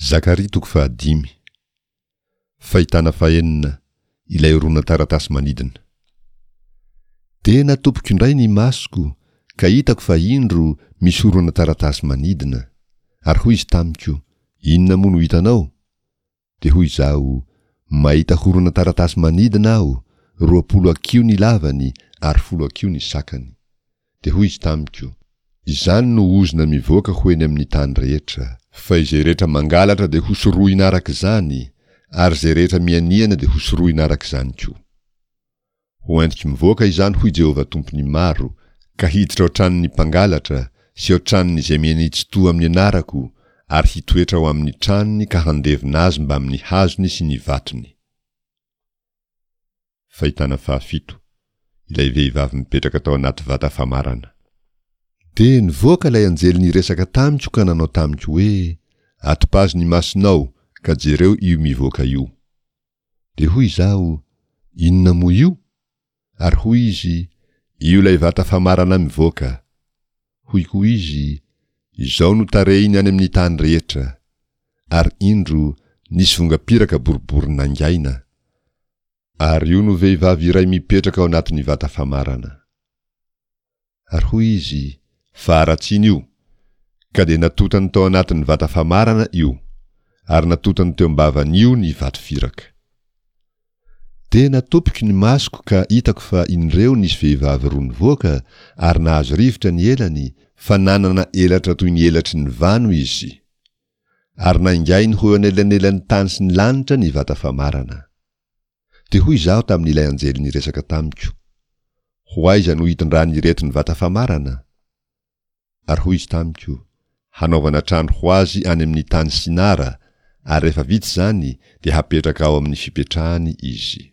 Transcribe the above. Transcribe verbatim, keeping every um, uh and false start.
Zakaria toko fahadimy. Fahitana fahenina, ilay horonan-taratasy manidina. Dia natopiko indray ny masoko, ka hitako fa indro misy horonan-taratasy manidina. Ary hoy izy tamiko, Inona moa no hitanao? Dia hoy izaho, Mahita horonan-taratasy manidina aho, roapolo hakiho ny lavany ary folo hakiho ny sakany. Dia hoy izy tamiko, Izany no ozona mivoaka ho eny amin'ny tany rehetra. Fa izay rehetra mangalatra dia hosorohina araka izany, ary izay rehetra mianiana dia hosorohina araka izany koa. Ho entiko mivoaka izany, hoy Jehovah Tompon'ny maro, ka hiditra ao an-tranon'ny mpangalatra, sy ao an-tranon'izay miania-tsy-to amin'ny anarako, ary hitoetra ao amin'ny tranony ka handevona azy mbamin'ny hazony sy ny vatony. Fahitana fahafito, ilay vehivavy mipetraka tao anaty vata famarana. Dia nivoaka ilay anjely niresaka tamiko ka nanao tamiko hoe, Atopazo ny masonao, ka jereo io mivoaka io. Dia hoy izaho, Inona moa io? Ary hoy izy, Io ilay vata famarana mivoaka. Hoy koa izy, Izao no tarehiny any amin'ny tany rehetra. Ary indro, nisy vongam-piraka boribory nangaina. Ary io no vehivavy iray mipetraka ao anatin'ny vata famarana. Ary hoy izy, Faharatsiana io! Ka dia natotany tao anatin'ny vata famarana io, ary natotany teo am-bavan'io ny vato firaka. Dia natopiko ny masoko ka hitako fa indreo nisy vehivavy roa nivoaka ary nahazo rivotra ny elany, fa nanana elatra toy ny elatry ny vano izy. Ary naingainy ho eo anelanelan'ny tany sy ny lanitra ny vata famarana. Dia hoy izaho tamin'ilay anjely niresaka tamiko, Ho aiza no hitondran'ireto ny vata famarana? Ary hoy izy tamiko, Hanaovana trano ho azy any amin'ny tany Sinara, ary rehefa vita izany, dia hapetraka ao amin'ny fipetrahany izy.